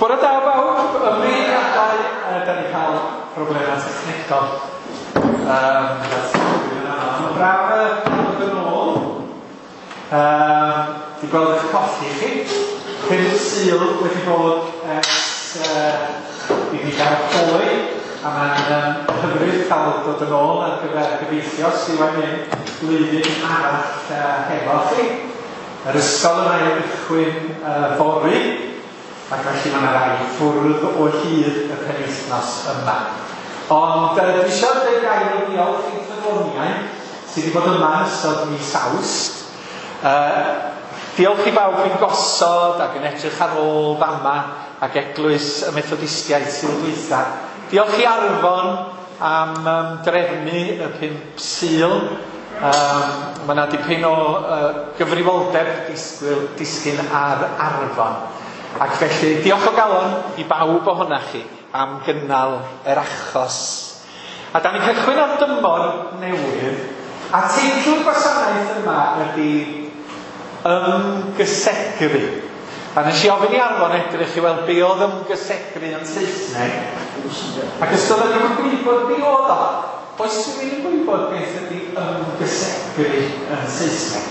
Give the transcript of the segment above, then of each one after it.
Bore da bawb, ymddiheuriadau, da ni'n cael problemau technegol. Mae'n braf dod yn ôl. Di gweld eich colli chi. 5 Sul wedi bod ers i ni gael hoe, a mae'n hyfryd cael dod yn ôl ar gyfer gobeithio sydd wedi mynd blwyddyn arall hefo chi. Yr ysgol yma i gychwyn fory, ac felly mae yna rai ffwrdd o hyd y penwythnos yma. Ond dwi eisiau dweud gair o ddiolch i'n ffyddloniau sydd wedi bod yma yn ystod mis Awst. Diolch i bawb sy'n gosod ac yn edrych ar ôl fama ac eglwys y Methodistiaid sydd dwytha. Diolch i Arfon am drefnu y 5 Sul. Mae yna dipyn o gyfrifoldeb disgyn ar Arfon. Ac felly diolch o galon i bawb ohonoch chi am gynnal yr achos. A da ni'n cychwyn ar dymor newydd, a teitl y gwasanaeth yma ydy Ymgysegru. A nes i ofyn i Arfon edrych i weld be oedd ymgysegru yn Saesneg. Ac os doedd ddim yn gwybod be oedd o, oes rhywun yn gwybod beth ydy ymgysegru yn Saesneg?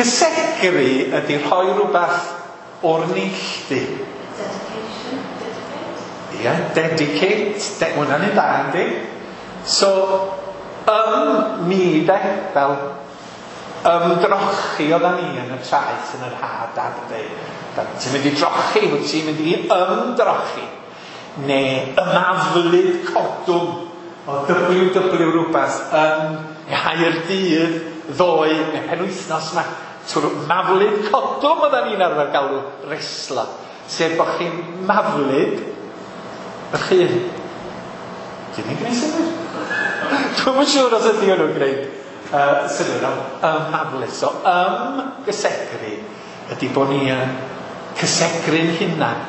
Cysegru ydy rhoi rhywbeth o'r neilltu. Dedication, dedicate. Ie, dedicate, hwnna'n un da, yndi? So, mi de, fel ymdrochi oeddan ni yn y traeth yn yr ha, dad yn dweud. Ti'n mynd i drochi, wyt ti'n mynd i ymdrochi. Neu ymaflyd codwm o WW rhywbeth yn Nghaerdydd ddoe, neu penwythnos yma. Trwy maflyd codwm oeddan ni'n arfer galw reslo. Sef bod chi'n maflyd ych hun. Dyn ni'n gwneud synnwyr? Dwi'm yn siŵr os ydy hwnnw'n gwneud synnwyr, ond ymaflyd. So ymgysegru ydy bod ni yn cysegru'n hunan.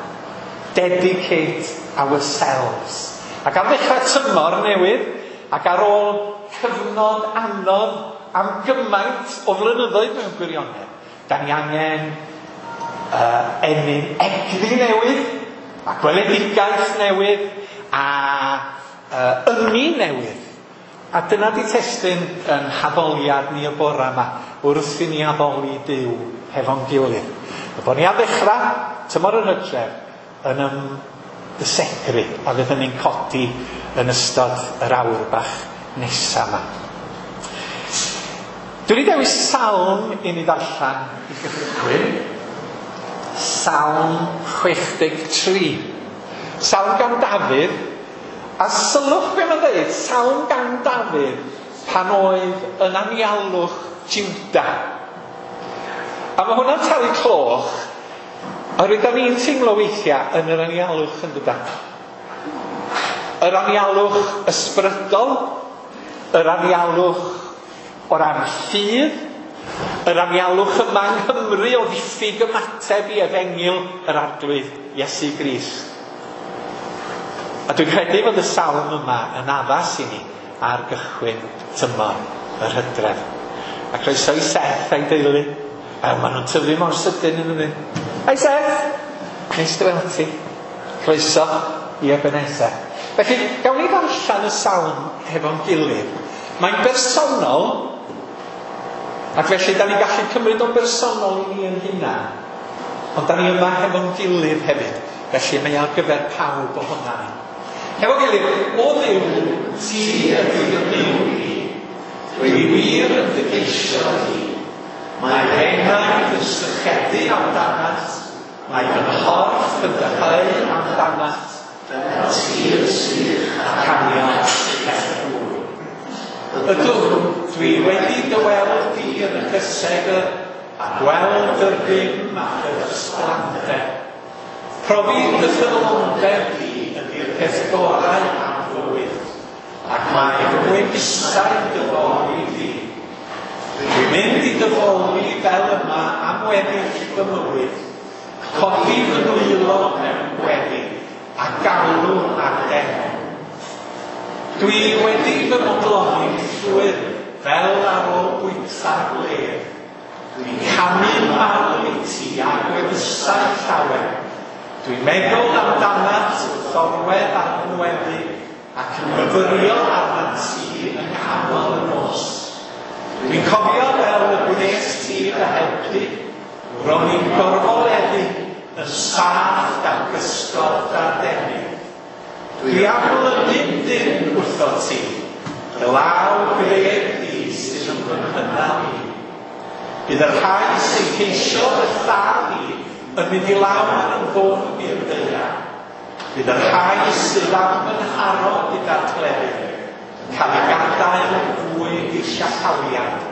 Dedicate ourselves. Ac ar ddechrau tymor newydd, ac ar ôl cyfnod anodd am gymaint o flynyddoedd mewn gwirionedd, da ni angen ennyn egni newydd, a gweledigaeth newydd, a ynni newydd. A dyna di testun yn haddoliad ni y bore yma, wrth i ni addoli Duw hefo'n gilydd. A bod ni ar ddechrau tymor yr hydref yn ymgysegru, a fydd hynny'n codi yn ystod yr awr bach nesaf yma. Dwi wedi dewis salm i ni ddarllen i gychwyn. Salm 63. Salm gan Dafydd. A sylwch be mae'n dweud, salm gan Dafydd pan oedd yn anialwch Juda. A mae hwnna'n talu cloch, oherwydd da ni'n teimlo weithiau yn yr anialwch yn dydan. Yr anialwch ysbrydol, yr anialwch o ran ffydd, yr anialwch yma yng Nghymru o ddiffyg ymateb i efengyl yr Arglwydd Iesu Grist. A dwi'n credu fod y salm yma yn addas i ni ar gychwyn tymor yr hydref. A croeso i Seth a'i deulu. A maen nhw'n tyfu mor sydyn yn ydyn. Hai Seth! Neis dy weld ti. Croeso i Ebenezer. Felly, gawn ni ddarllen y salm hefo'n gilydd. Mae'n bersonol, ac felly da ni'n gallu cymryd o'n bersonol i ni yn hunan. Ond da ni yma hefo'n gilydd hefyd. Felly mae ar gyfer pawb ohonan ni. Hefo gilydd, o Dduw, ti ydy fy Nuw i. Dwi wir yn dy geisio di. Mae fy enaid yn sychedu amdanat. Mae fy nghorff yn dyheu amdanat. Fel tir sych a caniad heb ddŵr. Ydw, dwi wedi dy weld di yn y cysegr a gweld yr rym ac yr ysblander. Profi dy ffyddlondeb di ydy'r peth gorau am fywyd, ac mae fy ngwefusau'n dy foli di. Dwi'n mynd i dy foli fel yma am weddill fy mywyd, codi fy nwylo mewn gweddi, a galw ar d'enw. Dwi wedi fy modloni'n llwyr fel ar ôl bwyta'r gwledd. Dwi'n canu mawl i ti a gwefusau llawer. Dwi'n meddwl amdanat wrth orwedd ar fy ngwely ac yn myfyrio arnat ti yng nghanol y nos. Dwi'n cofio fel y gwnes ti fy helpu, ro'n i'n gorfoleddu yn saff gan gysgod dadeni. Dwi am lynu'n dynn wrtho ti, dy law gref di sydd yn fy nghynnal i. Bydd y rhai sy'n ceisio fy lladd i yn mynd i lawr yn ddwfn i'r ddaear. Bydd y rhai sydd am fy nharo gyda'r cleddyf yn cael eu gadael yn fwy disiachaliad.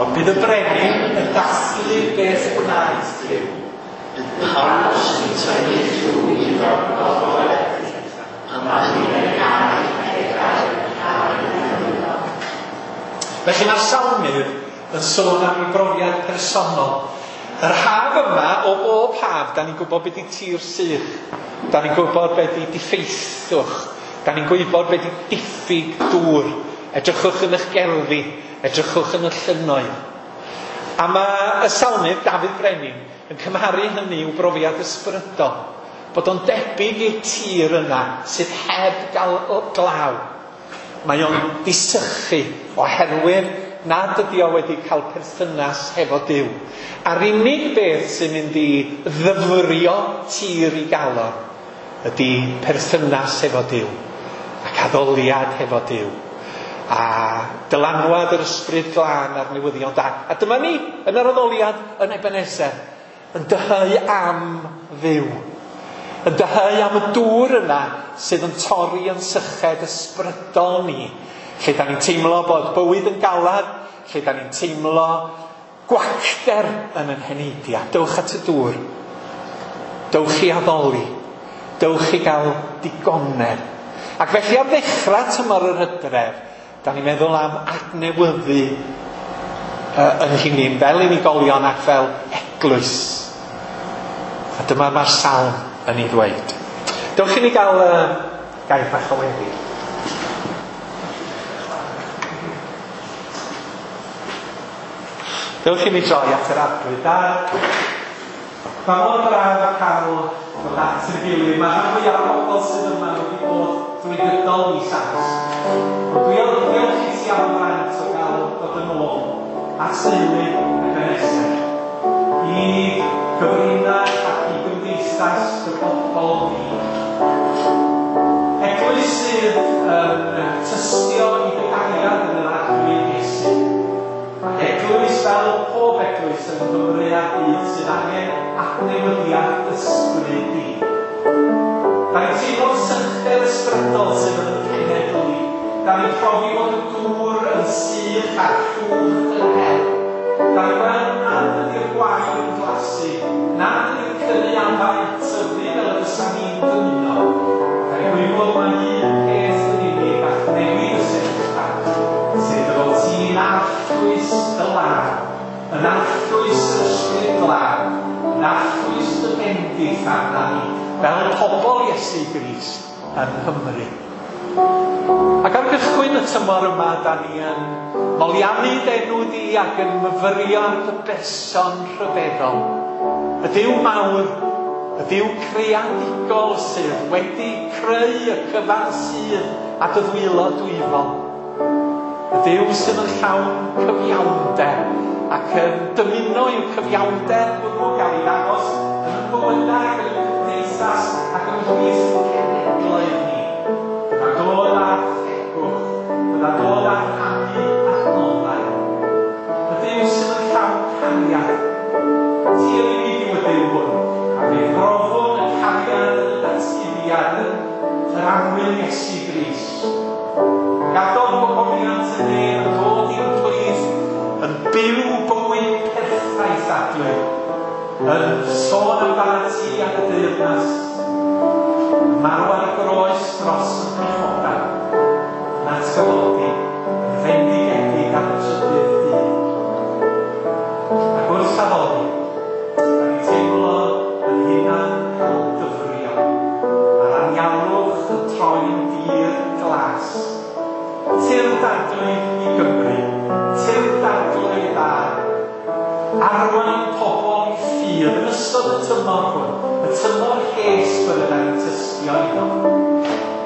Ond bydd y brenin yn dathlu beth gwnaeth Duw. Bydd pawb sy'n tynnu llw iddo gorfoleddu, a mae Felly mae'r salmydd yn sôn am ei brofiad personol. Yr haf yma, o bob haf, da ni'n gwybod beth di tir sych. Da ni'n gwybod beth di diffeithwch. Da ni'n gwybod beth di diffyg dŵr. Edrychwch yn eich gerddi, edrychwch yn y llynnoedd. A mae y salmydd, Dafydd Brenin, yn cymharu hynny i'w brofiad ysbrydol. Bod o'n debyg i'r tir yna sydd heb gael glaw. Mae o'n disychu oherwydd nad ydi o wedi cael perthynas hefo Duw. A'r unig beth sy'n mynd i ddyfrio tir i galon ydy perthynas hefo Duw ac addoliad hefo Duw a dylanwad yr ysbryd glân a'r newyddion da. A dyma ni yn yr addoliad yn Ebenezer yn dyheu am Dduw. Yn dyheu am y dŵr yna sydd yn torri yn syched ysbrydol ni. Lle da ni'n teimlo bod bywyd yn galad, lle da ni'n teimlo gwacter yn ein heneidiau. Dewch at y dŵr. Dewch i addoli. Dewch i gael digonedd. Ac felly ar ddechrau tymor yr hydref, da ni'n meddwl am adnewyddu yn hunain fel unigolion ac fel eglwys. A dyma mae'r salm yn ei ddweud. Dewch i ni gael gair bach o weddi. Dewch i ni droi at yr Arglwydd. Mae mor braf cael dod at y gilydd. Mae rhan fwyaf o bobl sydd yma wedi bod drwy gydol mis Awst. Ond diolch i ti am y fraint o gael dod yn ôl at deulu Ebenezer. I gyfrinach ac i gymdeithas y bobl ni. Eglwys sydd yn tystio i dy gariad yn yr Arglwydd Iesu. Eglwys fel pob eglwys yn Nghymru a'r byd sydd angen adnewyddiad ysbryd di. Da ni'n teimlo'r sychder ysbrydol sydd yn y cenedl ni. Da ni'n profi bod y dŵr yn sych a'r llwch yn hel. Da ni'n gweld nad ydy'r gwair yn glasu, nad ydy'r cynaeafau yn tyfu fel y fysa ni'n dymuno. Da ni'n gwybod mai un peth yn unig all newid y sefyllfa, sef dy fod ti'n arllwys y law, yn arllwys yr ysbryd glân, yn arllwys dy bendith arna ni, fel pobl Iesu Grist yng Nghymru. Ac ar gychwyn y tymor yma, da ni yn moliannu d'enw di ac yn myfyrio ar dy berson rhyfeddol. Y Duw mawr, y Duw creadigol sydd wedi creu y cyfan sydd a dy ddwylo dwyfol. Y Duw sydd yn llawn cyfiawnder ac yn dymuno i'w cyfiawnder hwnnw gael ei ddangos yn y bywydau ac yn y cymdeithas ac yn ymhlith cenhedloedd ni. Bydda dod â thegwch, bydda dod â rhannu adnoddau. Y Duw sydd yn llawn cariad. Ti yn unig yw y Duw hwn, a fe brofwn y cariad yn y datguddiad yn yr annwyl Iesu Grist. Gadodd gogoniant y nef yn dod i'n plith, yn byw bywyd perffaith Arglwydd, yn sôn amdanat ti ac y deyrnas, yn marw ar y groes dros y pechodau, yn atgyfodi, yn fendigedig ar y trydydd dydd. Ac wrth addoli, da ni'n teimlo yn hunan cael dyfrio, a'r anialwch yn troi'n dir glas. Tyrd Arglwydd i Gymru, tyrd Arglwydd a arwain pobl i ffydd yn ystod y tymor hwn, y tymor hesb yr yna ni'n tystio iddo.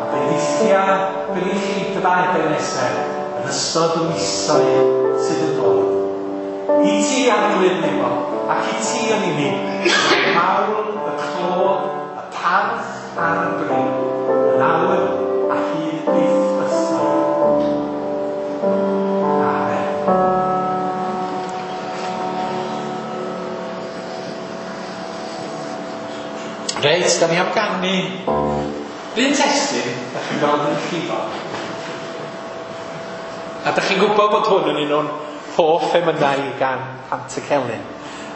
A bendithia gynulleidfa Ebeneser yn ystod y misoedd sydd yn dod. I ti, Arglwydd Nebo, ac i ti yn unig, y mawl, y clod, y parch a'r bri, yn awr a hyd byth bythoedd. Amen. Reit, da ni am ganu un testun, da chi'n gweld yn llifo. A da chi'n gwybod bod hwn yn un o'n hoff emynau gan Pantycelyn.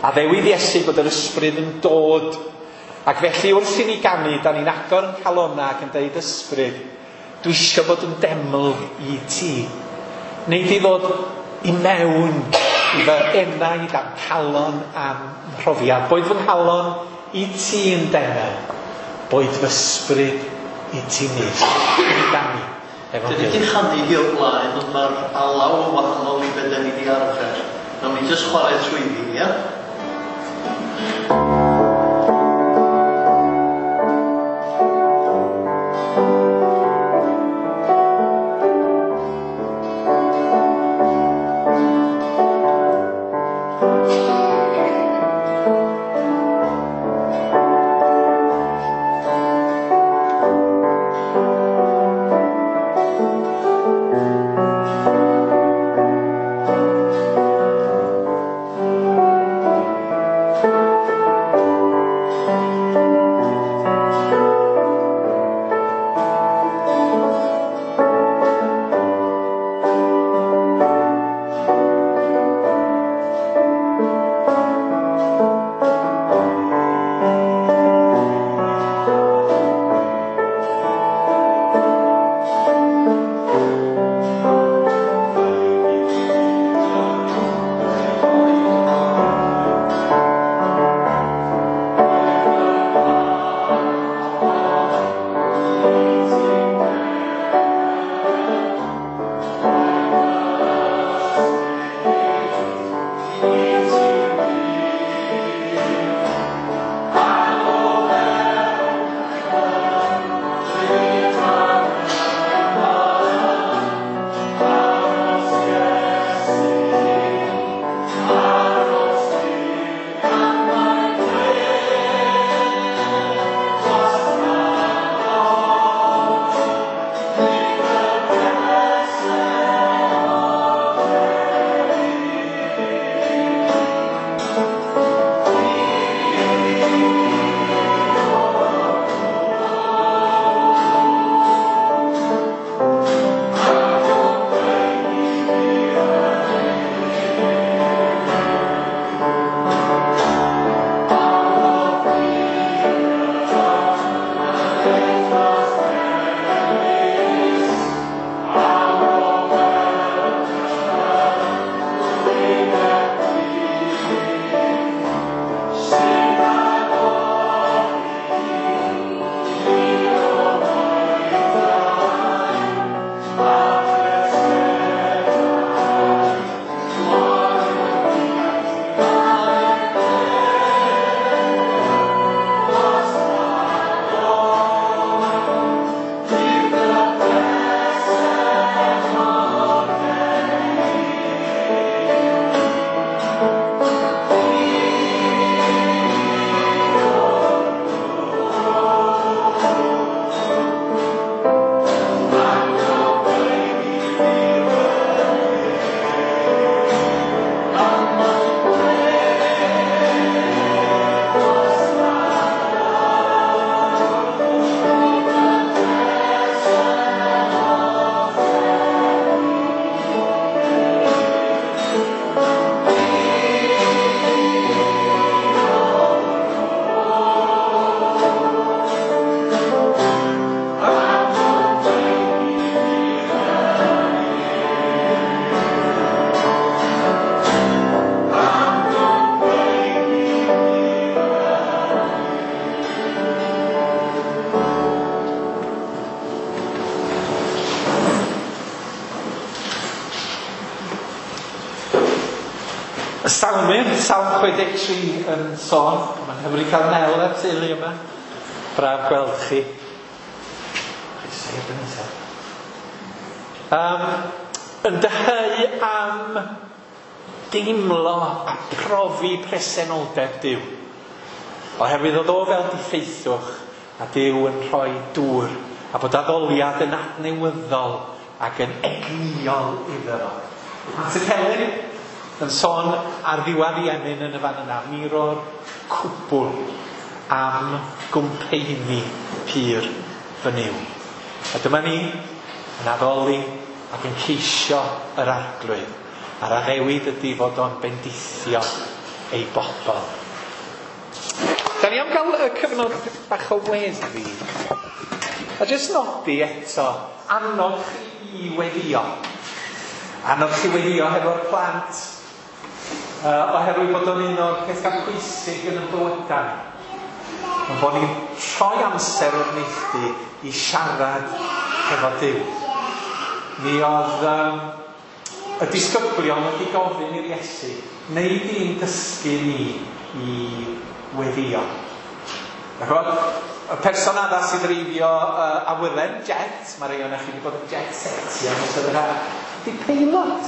A ddewid Iesu bod yr ysbryd yn dod. Ac felly wrth i ni ganu, da ni'n agor yn calonna ac yn deud ysbryd, dwi eisiau bod yn deml i ti. Neu di ddod i mewn i fy enaid a'm calon a'm mhrofiad. Boed fy nghalon i ti yn deml, boed fy ysbryd i ti nyth. I ganu efo'n Dyn ni gilydd. wedi chanu hi o'r blaen, ond mae'r alaw yn wahanol i be da ni wedi arfer. Nawn ni jyst chwarae trwyddi, ia? Y Salmydd, Salm 63 yn sôn, mae Hyfryd cael Mel a'r teulu yma. Braf gweld chi. Yn dyheu am deimlo a profi presenoldeb Duw. Oherwydd oedd o fel diffeithwch a Duw yn rhoi dŵr a bod addoliad yn adnewyddol ac yn egnïol iddo fo. Antur Helen yn sôn ar ddiwedd ei emyn yn y fan yna, miro'r cwbl am gwmpeini pur fy Nuw. A dyma ni yn addoli ac yn ceisio yr Arglwydd, a'r addewid ydy fod o'n bendithio ei bobl. Da ni am gael y cyfnod bach o weddi. A jyst nodi eto, annog chi i weddio. Annog chi weddio hefo'r plant, oherwydd bod o'n un o'r pethau pwysig yn y bywydau. Ond bod ni'n rhoi amser o'r neilltu i siarad hefo Duw. Mi oedd y disgyblion wedi gofyn i'r Iesu, neu di'n dysgu ni i weddio. Ch'mod, y person addas i ddreifio awyren, jet, mae rhai ohonoch chi wedi bod yn jet setio yn ystod yr haf, ydy peilot.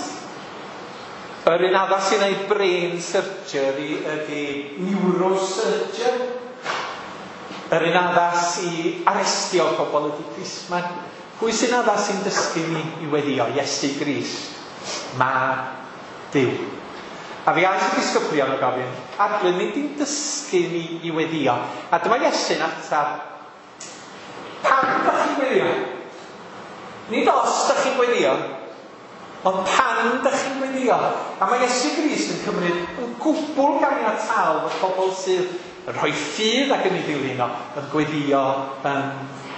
Yr un addas i wneud brain surgery ydy neurosurgeon. Yr un addas i arestio pobl ydy plisman. Pwy sy'n addas i'n dysgu ni i weddio? Iesu Grist, mab Duw. A fe aeth y disgyblion o gofyn, Arglwydd, nid di'n dysgu ni i weddio. A dyma Iesu'n ateb, pam da chi'n gweddio? Nid os da chi'n gweddio, ond pan da chi'n gweddio. A mae Iesu Grist yn cymryd yn gwbl ganiataol fod pobl sydd yn rhoi ffydd ac yn ei ddilyn o yn gweddio yn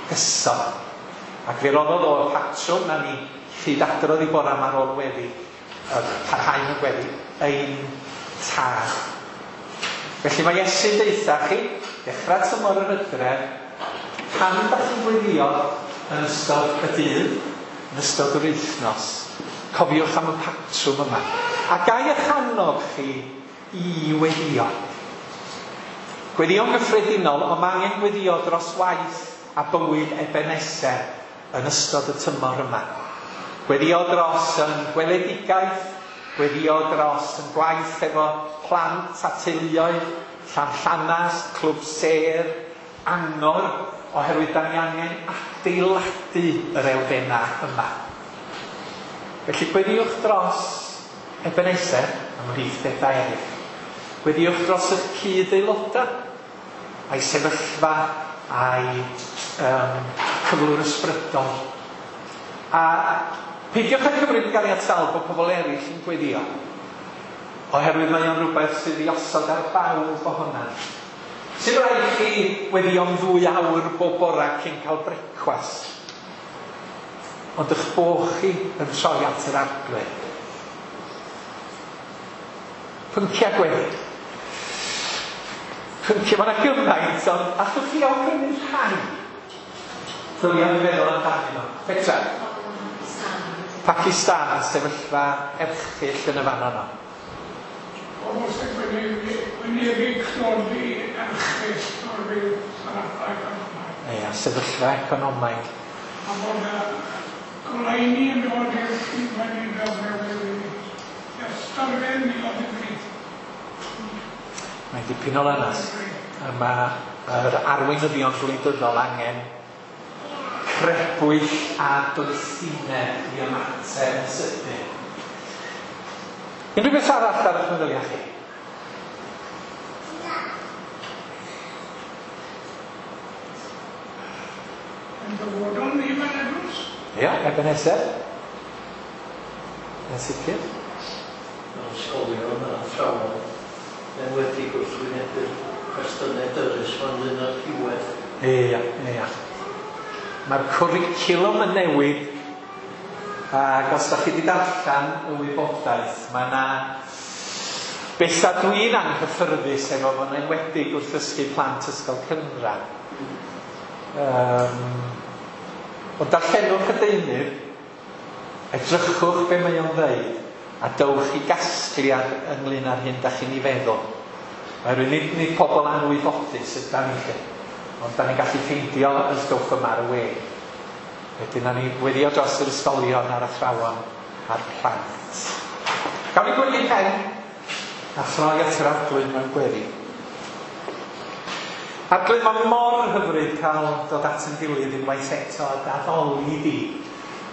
gyson. Ac fe roddodd o'r patrwm na ni hyd adrodd i bora yma ar ôl weddi, parhau mewn gweddi, ein tad. Felly mae Iesu'n deutha chi, dechrau tymor yr hydref, pan da chi'n gweddio yn ystod y dydd, yn ystod yr wythnos, cofiwch am y patrwm yma. A gai eich annog chi i weddio. Gweddio'n gyffredinol, ond mae angen gweddio dros waith a bywyd Ebenezer yn ystod y tymor yma. Gweddio dros yn gweledigaeth, gweddio dros yn gwaith efo plant a teuluoedd, Llanllanas, Clwb Sêr, Angor, oherwydd da ni angen adeiladu yr elfennau yma. Felly gweddiwch dros Ebenezer ymhlith bethau eraill. Gweddiwch dros eich cyd-aelodau, a'i sefyllfa, a'i cyflwr ysbrydol. A peidiwch â cymryd yn ganiataol bod pobl eraill yn gweddio, oherwydd mae o'n rhywbeth sydd i osod ar bawb ohona. Sy'n rhaid chi weddio'n 2 awr bob bora cyn cael brecwast, ond eich bo' chi yn troi at yr Arglwydd. Pynciau gweddi. Pynciau, mae yna gymaint, ond allwch chi awgrymu rhai? Ddylia ni feddwl amdanyn nhw. Petra? Pakistan, sefyllfa erchyll yn y fan yno. Pobl sy'n wynebu tlodi erchyll oherwydd sefyllfa economaidd. Ia, sefyllfa economaidd. A bod y goleuni yn dod i'r llifen i ddefnyddio ystyrfedd miloedd y bryd. Mae'n dipyn o lanas. A mae yr arweinyddion gwleidyddol angen crebwyll a doethineb i ymateb yn sydyn. Unrhyw beth arall ar eich meddyliau chi? Yn dyfodol ni fel eglwys? Ia, Ebenezer. Yn sicr. Mewn ysgolion a athrawon, yn wedi gwrthwynebu'r cwestiynau dyrys fan ynglyn â'r rhywedd. Ia, ia. Mae'r cwricwlwm yn newid, ac os da chi wedi darllen y wybodaeth, mae yna bethau dwi'n anghyffyrddus efo fo'n enwedig wrth ddysgu plant ysgol cynradd. Ond darllenwch y deunydd, edrychwch be mae o'n ddeud, a dowch i gasgliad ynglyn â'r hyn da chi'n ei feddwl. Oherwydd nid pobl anwybodus ydan ni lle, ond da ni'n gallu ffeindio y stwff yma ar y we. Wedyn na ni weddio dros yr ysgolion a'r athrawon a'r plant. Gawn ni gwyli pen a throi at yr Arglwydd mewn gweddi. Arglwydd, mae mor hyfryd cael dod at yn gilydd unwaith eto a daddoli di.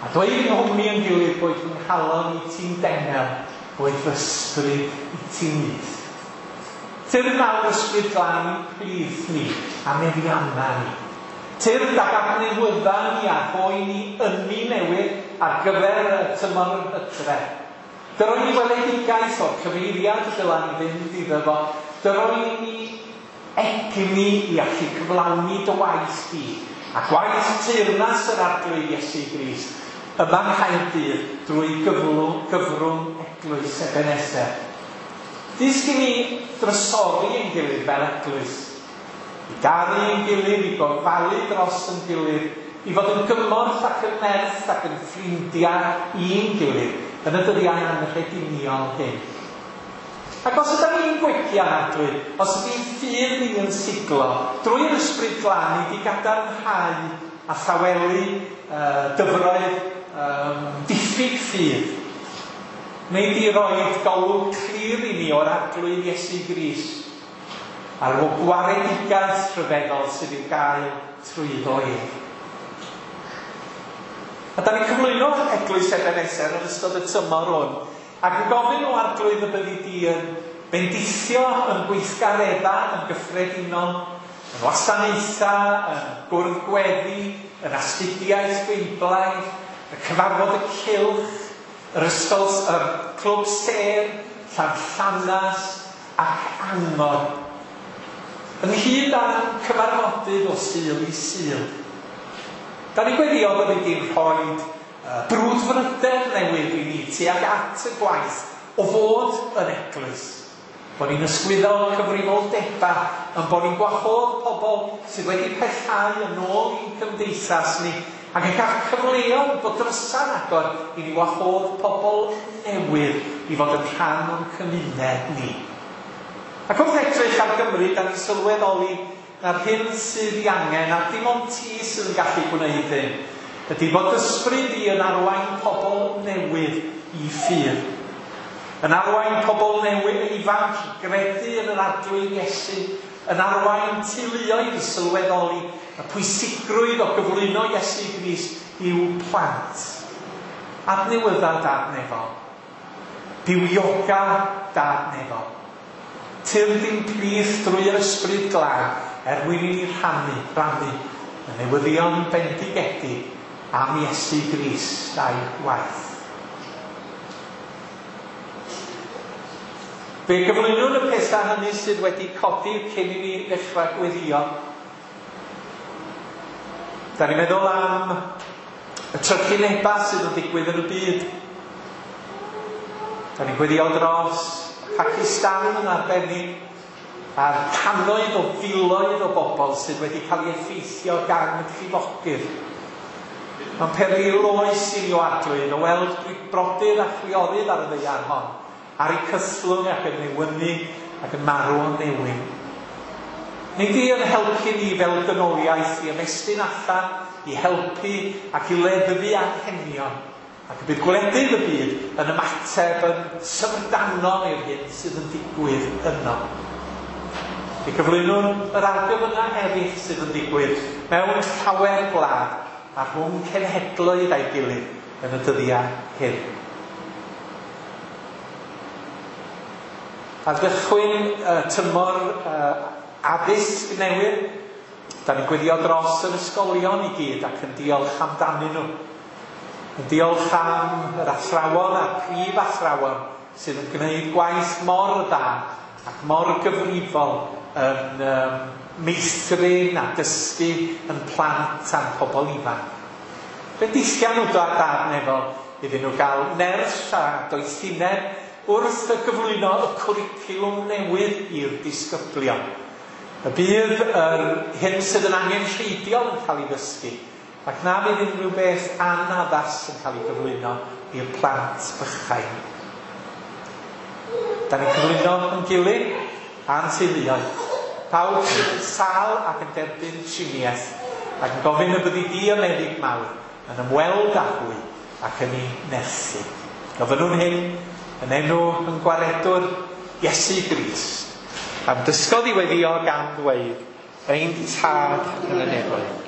A dweud yng nghwmni yn gilydd bod fy nghalon i ti'n denel, bod fy ysbryd i ti'n nyth. Tyrd nawr Ysbryd Glân i'n plith ni a meddianna ni. Tyrd ag adnewydda ni a rhoi ni ynni newydd ar gyfer y tymor yr hydref. Dyroi ni weledigaeth o'r cyfeiriad y dyla ni fynd iddo fo. Dyroi ni egni i allu cyflawni dy waith di a gwaith teyrnas yr Arglwydd Iesu Grist yma yng Nghaerdydd drwy gyfrwng Eglwys Ebeneser. Dysg i ni drysori ein gilydd fel eglwys, i garu ein gilydd, i gofalu dros ein gilydd, i fod yn gymorth ac yn nerth ac yn ffrindiau i'n gilydd yn y dyddiau anrheginiol hyn. Ac os ydym ni'n gwegian, Arglwydd, os ydy'n ffydd ni yn siglo, drwy'r Ysbryd Glân i di gadarnhau a thawelu dyfroedd diffyg ffydd, neu di roed golwg clir i ni o'r Arglwydd Iesu Grist a'r gwaredigaeth rhyfeddol sydd i'w gael trwyddo ef. A da ni'n cyflwyno Eglwys Ebeneser yn ystod y tymor hwn, ac yn gofyn o Arglwydd y byddi di yn bendithio yn gweithgareddau yn gyffredinol, yn wasanaethau, yn gwrdd gweddi, yn astudiaeth Beiblaidd, y cyfarfod y cylch, yr ysgol, y clwb sêr, Llanllanas ac Angor. Ynghyd â'n cyfarfodydd o Sul i Sul. Da ni'n gweddio byddi di'n rhoi brwdfrydedd newydd i ni tuag at y gwaith o fod yn eglwys. Bod ni'n ysgwyddo cyfrifoldebau, yn bod ni'n gwahodd pobl sydd wedi pellhau yn ôl i'n cymdeithas ni, ac yn cael cyfleoedd bod drysa'n agor i ni wahodd pobl newydd i fod yn rhan o'n cymuned ni. Ac wrth edrych ar Gymru, da ni'n sylweddoli na'r hyn sydd i angen, a dim ond ti sydd yn gallu gwneud hyn, ydy bod ysbryd di yn arwain pobl newydd i ffydd. Yn arwain pobl newydd ifanc i gredu yn yr Arglwydd Iesu, yn arwain teuluoedd i sylweddoli y pwysigrwydd o gyflwyno Iesu Grist i'w plant. Adnewydda Dad nefol. Bywioga Dad nefol. Tyrd i'n plith drwy'r Ysbryd Glân er mwyn i ni rannu y newyddion bendigedig am Iesu Grist a'i waith. Fe gyflwynwn y pethau hynny sydd wedi codi cyn i ni ddechrau gweddio. Da ni'n meddwl am y trychinebau sydd yn digwydd yn y byd. Da ni'n gweddio dros Pakistan yn arbennig, a'r cannoedd o filoedd o bobl sydd wedi cael ei effeithio gan y llifogydd. Mae'n peril oes i ni o Arglwydd o weld brodyr a chwiorydd ar y ddaear hon, ar eu cythlwng ac yn newynu ac yn marw o newyn. Nid di yn helpu ni fel dynoliaeth i ymestyn allan, i helpu ac i leddfu anghenion, ac y bydd gwledydd y byd yn ymateb yn syfrdanol i'r hyn sydd yn digwydd yno. I gyflwynwn yr argyfyngau eraill sydd yn digwydd mewn llawer gwlad a rhwng cenhedloedd a'i gilydd yn y dyddiau hyn. Ar gychwyn tymor addysg newydd, da ni'n gweddio dros yr ysgolion i gyd ac yn diolch amdanyn nhw. Yn diolch am yr athrawon a'r prif athrawon sydd yn gwneud gwaith mor dda ac mor gyfrifol yn meithrin a dysgu yn plant a'n pobl ifanc. Bendithia nhw Dad nefol iddyn nhw gael nerth a doethineb wrth y gyflwyno y cwricwlwm newydd i'r disgyblion. Y bydd yr hyn sydd yn angenrheidiol yn cael ei ddysgu, ac na fydd unrhyw beth anaddas yn cael ei gyflwyno i'r plant bychain. Da ni'n cyflwyno yn gilydd, a'n teuluoedd, pawb sydd yn sâl ac yn derbyn triniaeth, ac yn gofyn y byddi di y meddyg mawr yn ymweld â hwy ac yn eu nerthu. Gofynnwn hyn yn enw yn gwaredwr Iesu Grist, am dysgodd i weddïo gan ddweud, Ein Tad yn y nefoedd.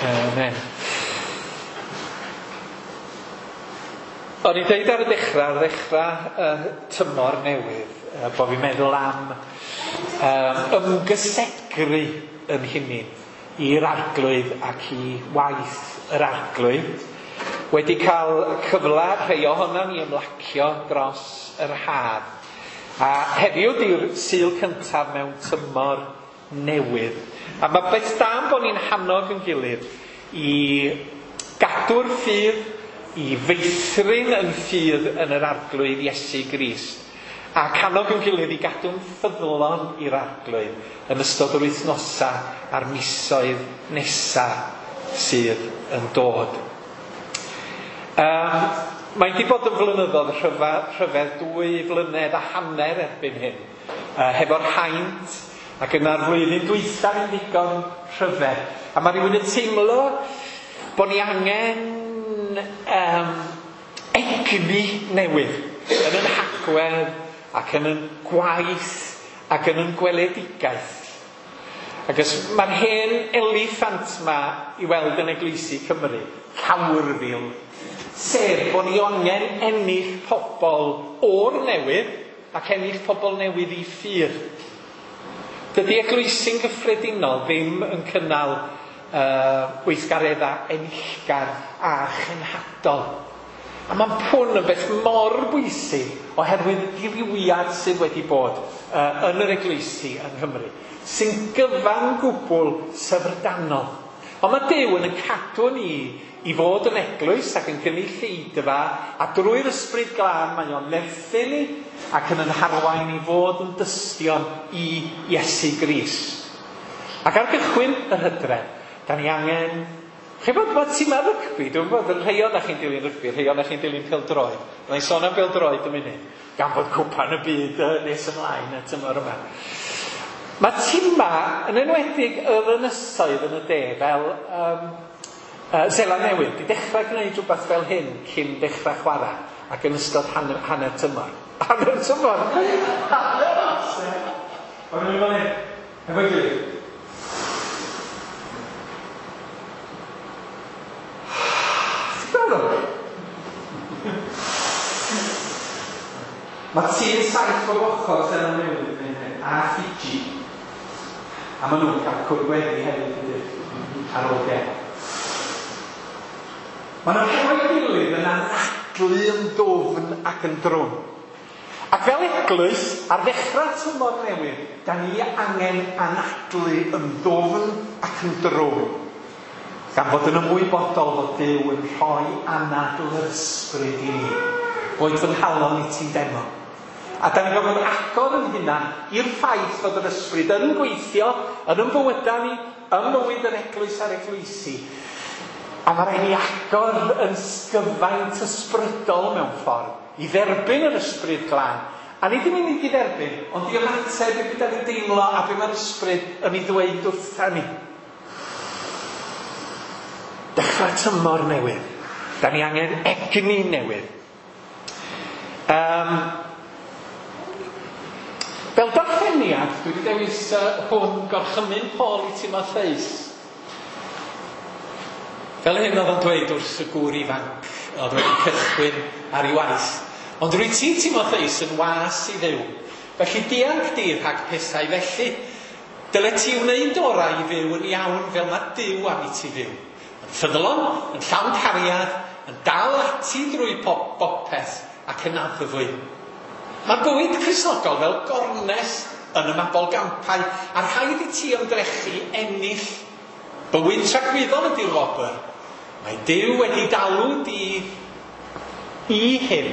Amen. O'n i'n deud ar y dechrau, tymor newydd, bod fi'n meddwl am ymgysegru yn hunain i'r Arglwydd ac i waith yr Arglwydd. Wedi cael cyfle rhai ohonon ni ymlacio dros yr haf. A heddiw di'r Sul cyntaf mewn tymor newydd. A mae beth da am bod ni'n hannog yn gilydd i gadw'r ffydd, i feithrin yn ffydd yn yr Arglwydd Iesu Grist. A cannog yn gilydd i gadw'n ffyddlon i'r Arglwydd yn ystod yr wythnosau a'r misoedd nesaf sydd yn dod. Mae'n di bod yn flynyddoedd rhyfedd 2 flynedd a hanner erbyn hyn, hefo'r haint, ac yna'r flwyddyn dwytha yn ddigon rhyfedd. A mae rhywun yn teimlo bod ni angen egni newydd yn yn hagwedd ac yn yn gwaith ac yn yn gweledigaeth. Ac os mae'r hen eliffant ma i weld yn eglwysi Cymru, Cawrfil, sef bod ni angen ennill pobl o'r newydd ac ennill pobl newydd i ffydd. Dydy eglwysi'n gyffredinol ddim yn cynnal gweithgareddau enillgar a chenhadol. A mae'n pwn yn beth mor bwysig oherwydd dirywiad sydd wedi bod yn yr eglwysi yng Nghymru, sy'n gyfan gwbl syfrdanol. Ond mae Duw yn cadw ni i fod yn eglwys ac yn gynulleidfa, a drwy'r Ysbryd Glân mae o'n nerthu ni ac yn harwain i fod yn dystion i Iesu Grist. Ac ar gychwyn yr hydref, da ni angen... Chi'n bod mae tîmau rygbi, dwi'n gwybod, rhai ohonoch chi'n dilyn rygbi, rhai ohonoch chi'n dilyn pêl-droed. Byddai'n i sôn am bêl-droed yn munud, gan fod cwpan y byd nes ymlaen y tymor yma. Mae tîmau, yn enwedig yr ynysoedd yn y de, fel Seland Newydd, di dechrau gwneud rhywbeth fel hyn cyn dechrau chwarae ac yn ystod hanner tymor. Hanner tymor? Hanner amser! O'n i'n mynd hyn, efo'i gilydd. Mae tîm 7 bob ochr Seland Newydd yn gwneud hyn, a Fiji. A maen nhw'n cael cwrdd gweddi hefyd ydy, ar ôl gem. Maen nhw'n hefo'i gilydd yn anadlu yn ddwfn ac yn drwm. Ac fel eglwys, ar ddechrau tymor newydd, da ni angen anadlu yn ddwfn ac yn drwm. Gan fod yn ymwybodol fod Duw yn rhoi anadl yr ysbryd i ni. Boed fy nghalon i ti'n demo. A da ni'n gorfod agor yn hunan i'r ffaith fod yr ysbryd yn gweithio, yn ymfywydau ni, ym mywyd yr eglwys a'r eglwysi. A mae rhaid ni agor yn sgyfaint ysbrydol mewn ffordd, i dderbyn yr Ysbryd Glân. A nid yn unig i dderbyn, ond i ymateb i beth da ni'n deimlo a be mae'r ysbryd yn ei ddweud wrtha ni. Dechrau tymor newydd. Da ni angen egni newydd. Fel darlleniad, dwi wedi dewis hwn gorchymyn Paul i Timotheus. Fel hyn oedd o'n dweud wrth y gŵr ifanc oedd wedi cychwyn ar ei waith. Ond rwy ti, Timotheus, yn was i Dduw. Felly dianc di rhag pethau felly. Dyle ti wneud orau i fyw yn iawn fel mae Duw am i ti fyw. Yn ffyddlon, yn llawn cariad, yn dal ati drwy bopeth ac yn addfwy. Mae bywyd Cristnogol fel gornes yn y mabolgampau, a rhaid i ti ymdrechu ennill. Bywyd tragwyddol ydy'r wobr. Mae Duw wedi dalw di i hyn,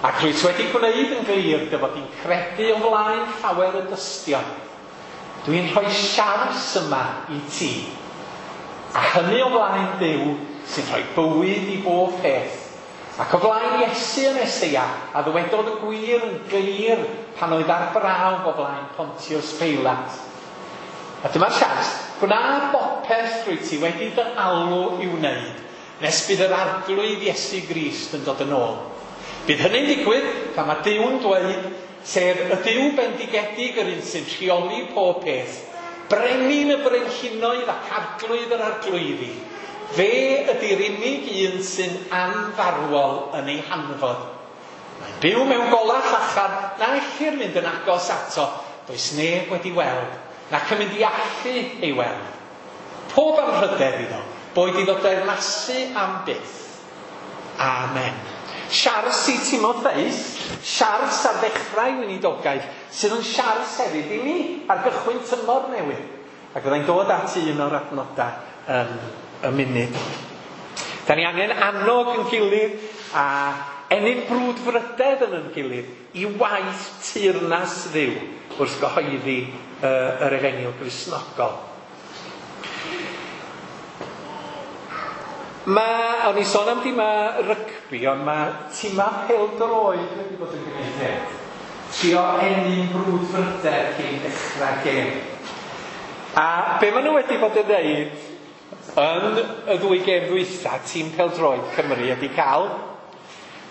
ac rwyt wedi gwneud yn glir dy fod di'n credu o flaen llawer o dystion. Dwi'n rhoi siars yma i ti, a hynny o flaen Duw sy'n rhoi bywyd i bob peth, ac o flaen Iesu y Meseia, a ddywedodd y gwir yn glir pan oedd ar brawf o flaen Pontius Peilat. A dyma'r siars, gwna bopeth rwyt ti wedi dy alw i'w wneud, nes bydd yr Arglwydd Iesu Grist yn dod yn ôl. Bydd hynny'n digwydd pan mae Duw'n dweud, sef y Duw bendigedig yr un sy'n rheoli pob peth, brenin y brenhinoedd ac arglwydd yr arglwyddi. Fe ydy'r unig un sy'n anfarwol yn ei hanfod. Mae'n byw mewn golau llachar na ellir mynd yn agos ato, does neb wedi weld, nac yn mynd i allu ei weld. Pob anrhydedd iddo, boed iddo deyrnasu am byth. Amen. Siars i Timotheus, siars ar ddechrau weinidogaeth, sydd yn siars hefyd i ni ar gychwyn tymor newydd. Ac fyddai'n dod at un o'r adnodau yn y munud. Da ni angen annog yn gilydd a ennyn brwdfrydedd yn yn gilydd i waith teyrnas Dduw wrth gyhoeddi yr Efengyl Gristnogol. Mae, o'n i sôn am dimau rygbi, ond mae timau pêl-droed wedi bod yn gwneud hyn. Trio ennyn brwdfrydedd cyn dechrau gêm. A be maen nhw wedi bod yn dweud yn y ddwy gêm ddwytha, tîm pêl-droed Cymru ydy cael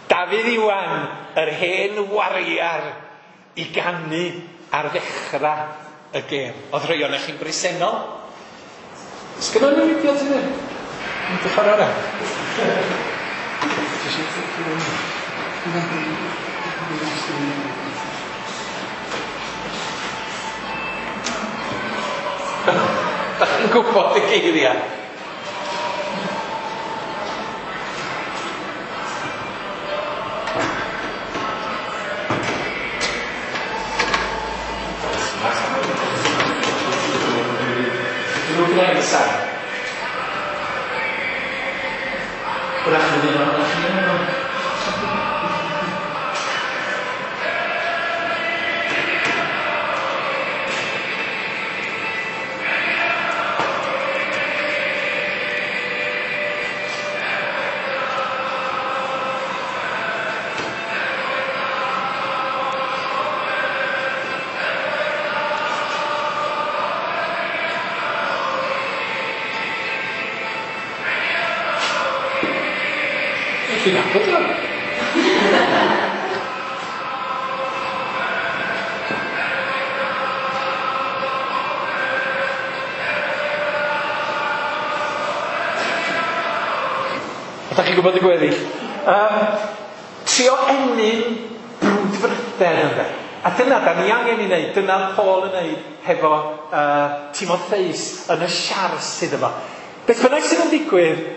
Dafydd Iwan, yr hen wariar, i ganu ar ddechrau y gêm. Oedd rhai ohonoch chi'n bresennol? Sgynnon ni fideo ti ddim? Yn dy ffordd arall? Da chi'n gwybod y geiriau? Dwi'n gwneud y sain. Wrach fydd un ohonoch chi yn yno. Dwi'n nabod o. Ydych chi'n gwybod y gweddill? Trio ennyn brwdfrydedd ynde. A dyna da ni angen i wneud, dyna Paul yn wneud hefo Timotheus yn y siars iddo fo. Beth bynnag sydd yn digwydd,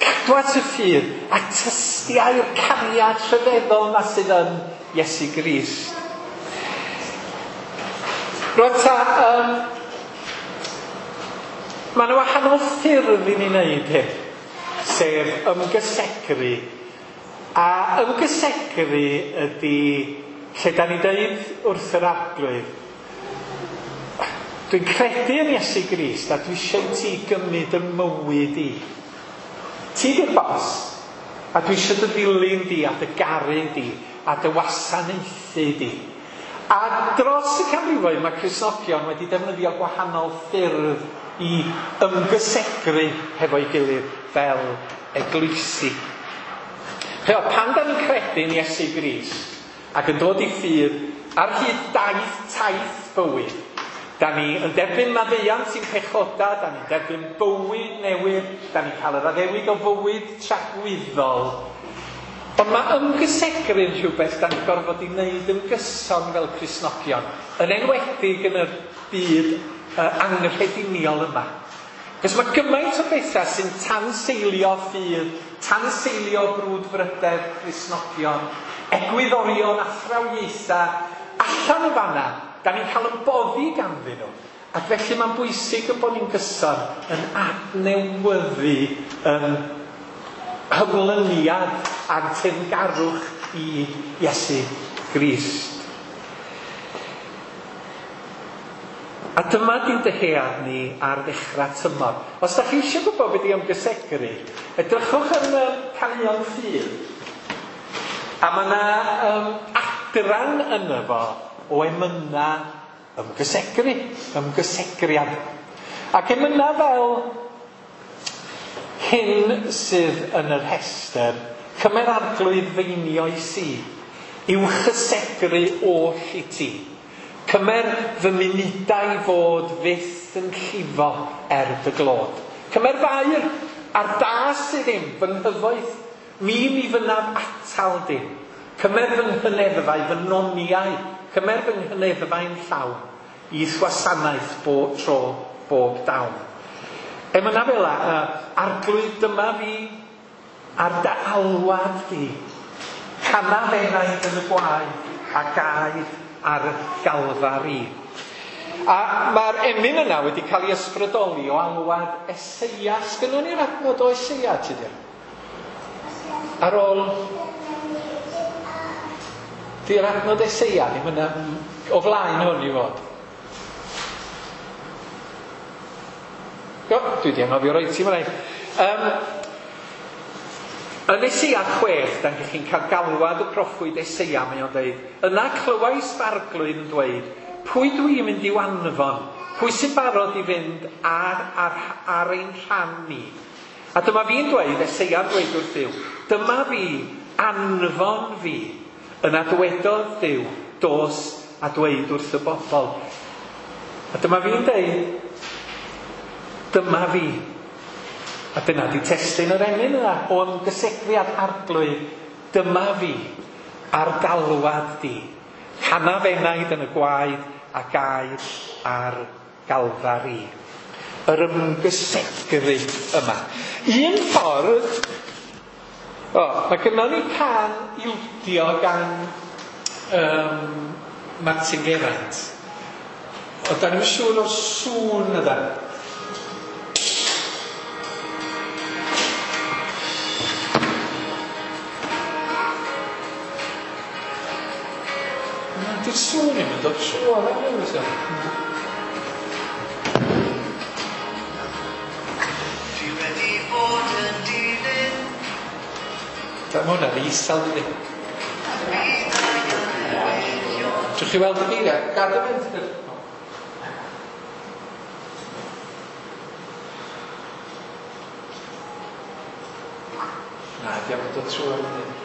cadw at y ffydd a tystiau'r cariad rhyfeddol na sydd yn Iesu Grist. Rwan ta, mae yna wahanol ffyrdd i ni wneud hyn, sef ymgysegru. A ymgysegru ydy lle da ni'n deud wrth yr Arglwydd, dwi'n credu yn Iesu Grist a dwi eisiau ti gymryd y mywyd i. Ti di'r bos, a dwi eisiau dy ddilyn di a dy garu di a dy wasanaethu di. A dros y canrifoedd mae Cristnogion wedi defnyddio gwahanol ffyrdd i ymgysegru hefo'i gilydd fel eglwysi. Ch'mo, pan da ni'n credu yn Iesu Grist ac yn dod i ffydd ar hyd daith taith bywyd, da ni yn derbyn maddeuant i'n pechoda, da ni'n derbyn bywyd newydd, da ni'n cael yr addewid o fywyd tragwyddol. Ond mae ymgysegru'n rhywbeth da ni'n gorfod i wneud yn gyson fel Cristnogion, yn enwedig yn y byd anghrediniol yma. Cos mae gymaint o bethau sy'n tanseilio ffydd, tanseilio brwdfrydedd Cristnogion, egwyddorion athrawiaetha allan o fanna. Da ni'n cael yn boddi ganddyn nhw. Ac felly mae'n bwysig y bod ni'n gyson yn adnewyddu yn hymlyniad a'n teyrngarwch i Iesu Grist. A dyma di'n dyhead ni ar ddechrau tymor. Os da chi eisiau gwybod beth i ymgysegru, edrychwch yn y Caneuon Ffydd. A mae yna adran yno fo o emyna ymgysegru, ymgysegriad. Ac emyna fel hyn sydd yn y rhestr, cymer arglwydd feinioes i, i'w chysegru oll i ti. Cymer fy munudau fod fyth yn llifo er dy glod. Cymer fair a'r da sydd ddim, fy nghyfoeth, mi fynaf atal dim. Cymer fy nghyneddfau, fy noniau, cymer fy nghyneddfau'n llawn, i'th wasanaeth bob tro, bob dawn. Emyna fel arglwydd dyma fi, ar dy alwad di, canaf enaid yn y gwaed a gaed ar Galfari. A mae'r emyn yna wedi cael ei ysbrydoli o alwad Eseia. Sgynnon ni'r adnod o Eseia, ti di? Ar ôl... Di'r adnod Eseia ddim yna o flaen hwn i fod. O, dwi wedi anghofio roi ti mae'n. Yn Eseia 6, dan chi'n cael galwad y proffwyd Eseia, mae o'n dweud, yna clywais farglwydd yn dweud, pwy dwi'n mynd i'w anfon? Pwy sy'n barod i fynd ar ein rhan ni? A dyma fi'n dweud, Eseia'n dweud wrth Dduw, dyma fi, anfon fi. Yna dywedodd Duw, dos a dweud wrth y bobl. A dyma fi'n dweud, dyma fi. A dyna di testun yr emyn yna, o ymgysegriad arglwydd, dyma fi, ar galwad di. Canaf enaid yn y gwaed a gaed ar Galfari. Yr ymgysegru yma. Un ffordd, mae gynnon ni can ildio gan Martin Geraint. O, da ni'n siŵr o'r sŵn yna. Di'r sŵn ddim yn dod trwodd am ryw reswm. Dwi wedi bod yn dilyn. Mae hwnna'n isel, dydi? Trwch chi weld y geiriau? Gad y fynd. Na, diolch yn dod trwodd, dydi?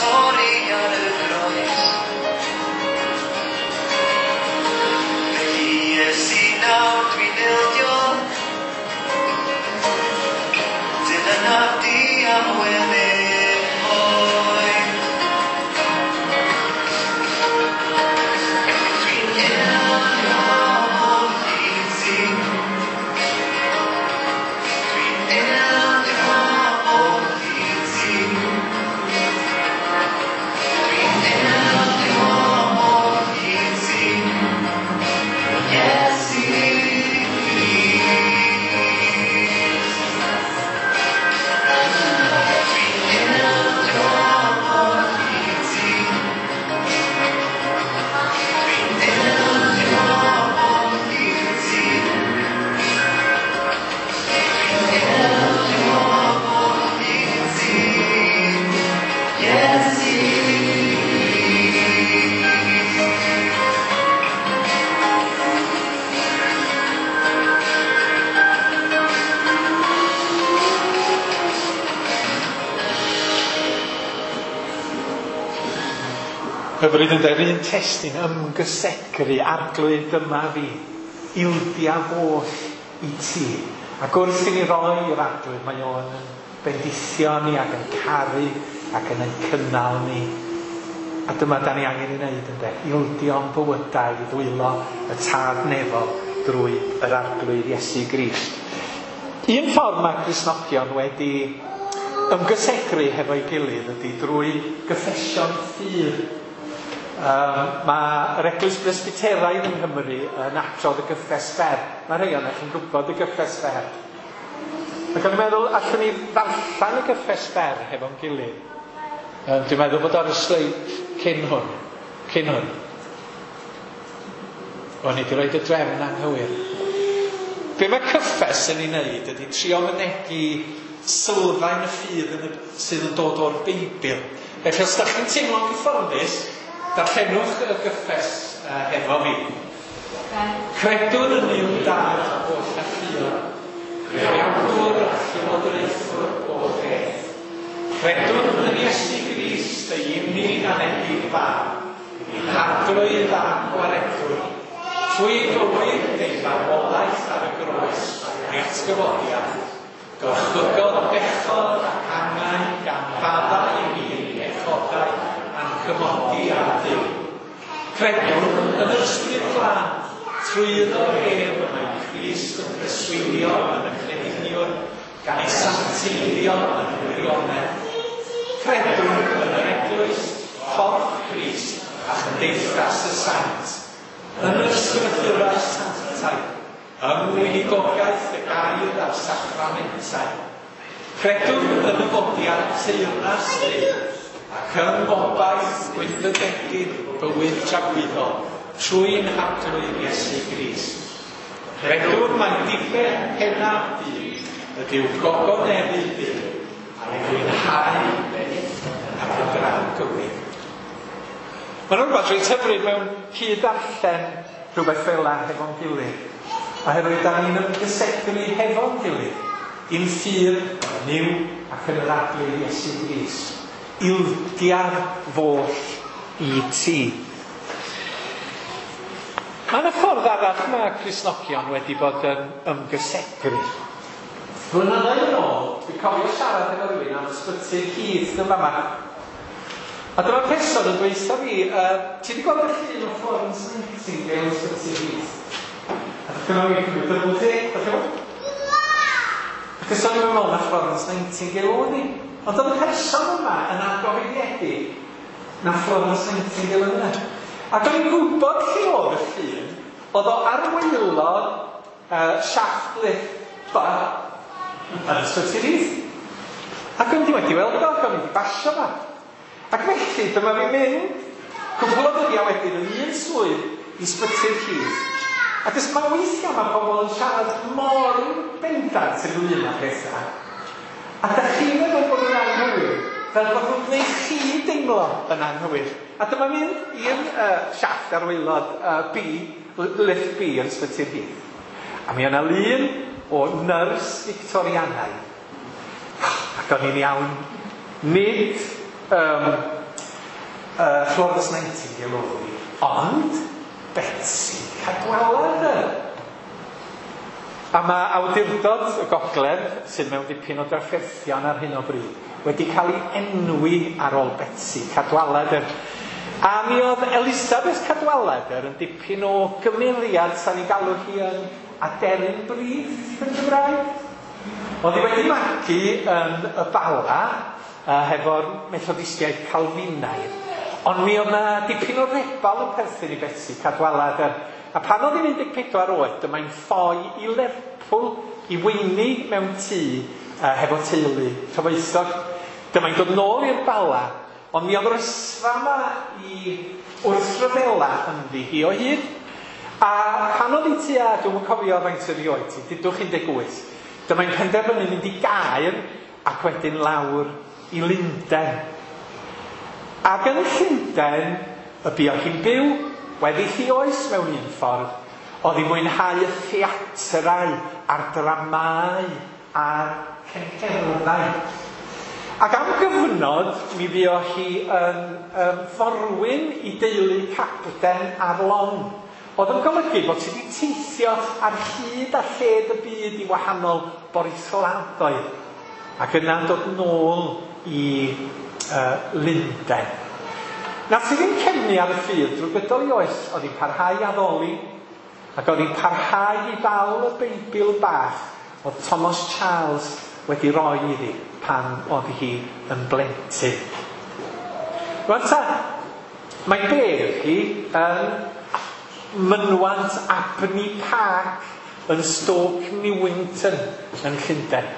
torri ar y groes. Felly Iesu nawr dwi'n ildio, dilynaf di am weddill oes. Dwi'n ildio o hyd ti. Dwi'n ildio o hyd ti. Dwi'n ildio o hyd ti. Iesu Grist. Dwi'n ildio o hyd ti. Dwi'n ildio o hyd ti. Dwi'n ildio o hyd ti. Iesu Grist. Hyfryd yn de'r un testun ymgysegru, Arglwydd dyma fi, ildiaf oll i ti. Ac wrth i ni roi i'r Arglwydd, mae o'n yn bendithio ni ac yn caru ac yn cynnal ni. A dyma da ni angen ei wneud ynde, ildio'n bywydau i ddwylo y Tad nefol drwy yr Arglwydd Iesu Grist. Un ffordd mae Cristnogion wedi ymgysegru hefo'i gilydd ydy drwy gyffesion ffydd. Mae yr Eglwys Bresbyteraidd yng Nghymru yn adrodd y gyffes fer. Mae rhai ohonoch chi'n gwybod y gyffes fer. Ac o'n i'n meddwl, allwn ni ddarllen y gyffes fer hefo'n gilydd. Dwi'n meddwl bod ar y sleid cyn hwn. Cyn hwn. O'n i wedi rhoi y drefn anghywir. Be mae cyffes yn ei wneud ydy trio mynegi sylfaen y ffydd sydd yn dod o'r Beibl. Felly os da chi'n teimlo'n gyfforddus, darllenwch y gyffes hefo fi. Credwn yn Nuw Dad holl alluog, Creawdwr a Llywodraethwr bob peth. Credwn yn Iesu Grist, ei unig anedig fab, ein Arglwydd a Gwaredwr, trwy fywyd ei farwolaeth ar y groes a'i atgyfodiad, gorchfygodd bechod ac angau gan faddau i ni pechodau a'n cymodi â Duw. Credwn yn yr Ysbryd Glân, trwyddo ef y mae Crist yn preswylio yn y crediniwr, gan ei sancteiddio yn y gwirionedd. Credwn yn yr Eglwys, corff Crist a chymdeithas y saint, yn yr ysgrythurau sanctaidd, yng ngweinidogaeth y gair a'r sacramentau. Credwn yn y fodiad teyrnas Duw, ac yng ngobaith gweithrededig bywyd tragwyddol, trwy'n Harglwydd Iesu Grist. Credwn mai diben pennaf dyn ydyw gogoneddu Duw a'i fwynhau ac yn dragwydd. Mae'n rhywbeth reit hyfryd mewn cyd-darllen rhywbeth fel 'na hefo'n gilydd. Oherwydd da ni'n ymgysegru hefo'n gilydd, i'n ffydd yn Nuw ac yn yr Arglwydd Iesu Grist. Ildiaf foll i ti. Mae yna ffordd arall mae Cristnogion wedi bod yn ymgysegru. Blynyddoedd yn ôl, dwi'n cofio siarad efo rhywun am ysbyty'r Heath yn fama. A dyma'r person yn dweud wrtha fi, ti wedi gweld y llun o Florence Nightingale yn ysbyty'r Heath? A dyma fi cymryd double take, dach chi'n gwbod? Ac os o'n i'n meddwl na Florence Nightingale oedd hi. Ond oedd y person yma yn argyhoeddiedig na Florence Nightingale oedd yna. Ac o'n i'n gwybod lle oedd y llun, oedd o ar waelod shaft lift bar yn ysbyty'r Heath. Ac o'n i wedi weld o, ac o'n i wedi basio fo. Ac felly, dyma fi'n mynd cwpl o ddyddiau wedyn yn un swydd i ysbyty'r Heath. Ac os mae weithiau mae pobl yn siarad mor bendant ynglyn â pethau, a da chi'n meddwl bod yn anghywir, fel bod nhw'n gwneud chi deimlo yn anghywir. A dyma mynd i'r shaft ar waelod B, lift B yn ysbyty'r Heath. A mi yna lun o nyrs Victorianaidd. Ac o'n i'n iawn, nid Florence Nightingale oedd hi, ond Betsi Cadwaladr. A mae awdurdod y Gogledd, sydd mewn dipyn o drafferthion ar hyn o bryd, wedi cael ei enwi ar ôl Betsi Cadwaladr. A mi oedd Elisabeth Cadwaladr yn dipyn o gymeriad, sa'n ei galw hi yn aderyn brith yn Gymraeg. Oedd hi wedi magu yn y Bala hefo'r Methodistiaid Calfinaidd. Ond mi oedd 'na dipyn o rebal yn perthyn i Betsi Cadwaladr. A pan oedd hi'n 14 oed, dyma'n ffoi i Lerpwl i weini mewn tŷ hefo teulu cyfoethog. Dyma'n dod nôl i'r Bala, ond mi oedd yr ysfa yma i wrthryfela ynddi hi o hyd. A pan oedd hi tua, dwi'm yn cofio faint oedd hi oed hi, dudwch 18, dyma'n penderfynu mynd i Gaer ac wedyn lawr i Lundain. Ac yn Llundain, y buodd hi'n byw, weddill ei oes mewn un ffordd, oedd hi'n mwynhau y theatrau a'r dramâu a'r cyngherddau. Ac am gyfnod, mi fuodd hi yn forwyn i deulu capten ar long. Oedd yn golygu bod hi wedi teithio ar hyd a lled y byd i wahanol borthladdoedd. Ac yna'n dod nôl i Lundain. Nath hi ddim cefnu ar y ffydd drwy gydol ei oes, oedd hi'n parhau i addoli, ac oedd hi'n parhau i ddal y Beibl bach oedd Thomas Charles wedi roi iddi pan oedd hi yn blentyn. Rwan ta, mae bedd hi yn mynwant Abney Park yn Stoke Newington yn Llundain.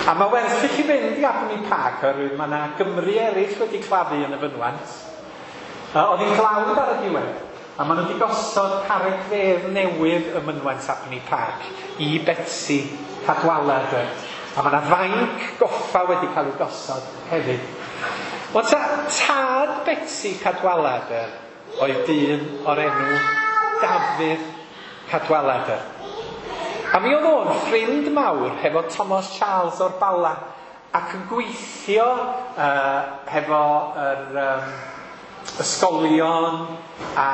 A mae werth i chi fynd i Abney Park oherwydd mae yna Gymry eraill wedi claddu yn y fynwant. Oedd hi'n glawd ar y diwedd, a maen nhw wedi gosod carreg fedd newydd ym mynwent Abney Park i Betsi Cadwaladr. A mae yna fainc goffa wedi cael ei gosod hefyd. Wel ta, tad Betsi Cadwaladr oedd dyn o'r enw Dafydd Cadwaladr. A mi oedd o'n ffrind mawr hefo Thomas Charles o'r Bala ac yn gweithio hefo yr ysgolion a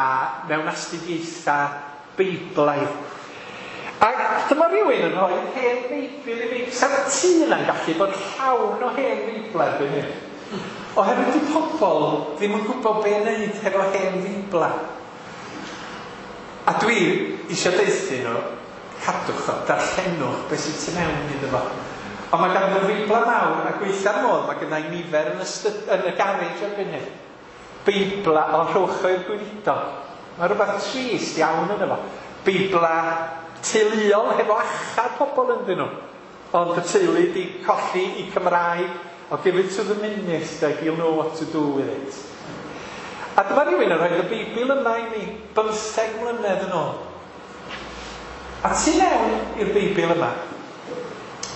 mewn astudiaethau Beiblaidd. Ac dyma rhywun yn rhoi hen Feibl i fi. Sa'r tŷ yna'n gallu bod llawn o hen Feiblau erbyn hyn. Oherwydd di pobl ddim yn gwybod be wneud hefo hen Feiblau. A dwi eisiau deuthu nhw, cadwch o, darllenwch beth sydd tu mewn iddo fo. Ond mae gan nhw Feiblau mawr a gweitha'r modd, mae gynna i nifer yn y garej erbyn hyn. Beibla o rhowch o'r gweinidog. Mae rhywbeth trist iawn yno fo. Beibla teuluol hefo achau pobl ynddyn nhw. Ond y teulu di colli i Cymraeg. I'll give it to the minister, he'll know what to do with it. A dyma rhywun yn rhoi y Beibl yma i mi 15 mlynedd yn ôl. A tu mewn i'r Beibl yma,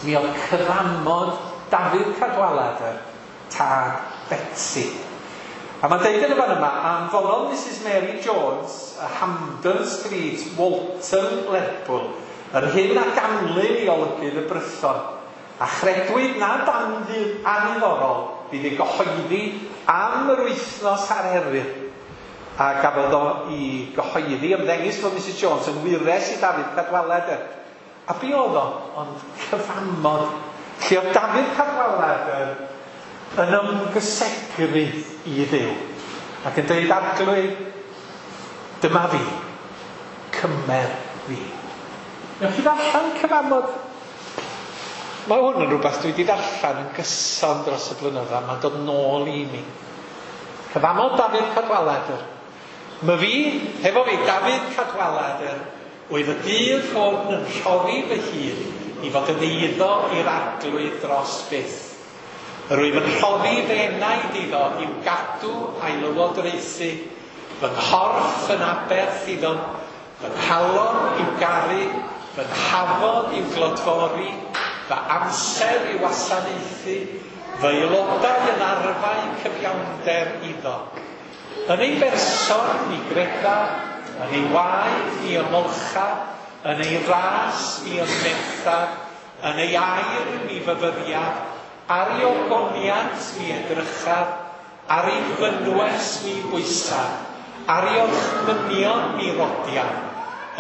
mi oedd cyfamod Dafydd Cadwaladr, tad Betsi. A mae'n deud yn y fan yma, anfonodd Mrs Mary Jones, y Hamden Street, Walton, Lerpwl, yr hyn a ganlyn i olygydd y Brython, a chredwyd nad anniddorol fydd ei gyhoeddi am yr wythnos ar Eryr. A gafodd o i gyhoeddi ymddengys fod Mrs Jones yn wyres i Dafydd Cadwaladr. A be oedd o? Ond cyfamod. Lle oedd Dafydd Cadwaladr yn ymgysegru i Dduw. Ac yn dweud, Arglwydd, dyma fi, cymer fi. Newch chi ddarllen cyfamod? Mae hwn yn rhywbeth dwi wedi darllen yn gyson dros y blynyddoedd. Mae'n dod nôl i mi. Cyfamod Dafydd Cadwaladr. Mae fi, hefo fi, Dafydd Cadwaladr, oedd y dydd hwn yn rhoddi fy hun i fod yn eiddo i'r Arglwydd dros byth. Yr wyf yn rhoddi fy enaid iddo i'w gadw a'i lywodraethu, fy nghorff yn aberth iddo, fy nghalon i'w garu, fy nhafod i'w glodfori, fy amser i'w wasanaethu, fy aelodau yn arfau cyfiawnder iddo. Yn ei berson mi greda, yn ei waed mi ymolcha, yn ei ras mi ymmetha, yn ei air mi fyfyriaf, ar ei ogoniant mi edrychaf, Ar ei fynwes mi bwysaf, ar ei orchmynion mi rodiaf,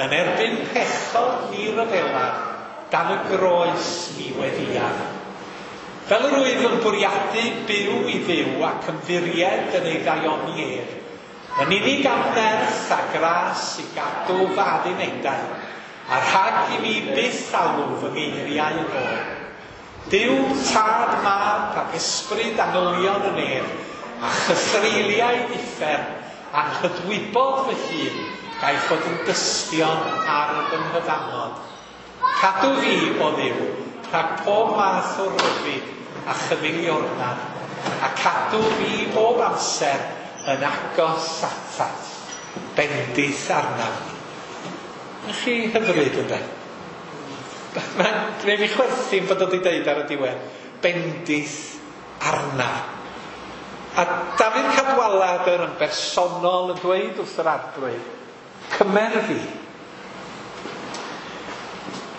yn erbyn pechod mi ryfelaf, dan y groes mi weddïaf. Fel yr wyf yn bwriadu byw i Dduw ac ymddiried yn ei ddaioni ef, yn unig am nerth a gras i gadw fy addunedau, a rhag i mi byth alw fy ngeiriau yn ôl. Duw, Tad, Mab ac Ysbryd angylion y nef, a chythreuliaid uffern, anghydwybod fy hun, gaiff fod yn dystion ar fy nghyfamod. Cadw fi, o Dduw, rhag pob math o ryddid a chyfeiliornad, a cadw fi bob amser yn agos atat. Bendith arnaf. Ych chi hyfryd, ynde? Mae'n gwneud fi chwerthin bod o wedi deud ar y diwedd, bendith arnaf. A Dafydd Cadwaladr yn bersonol yn dweud wrth yr Arglwydd, cymer fi.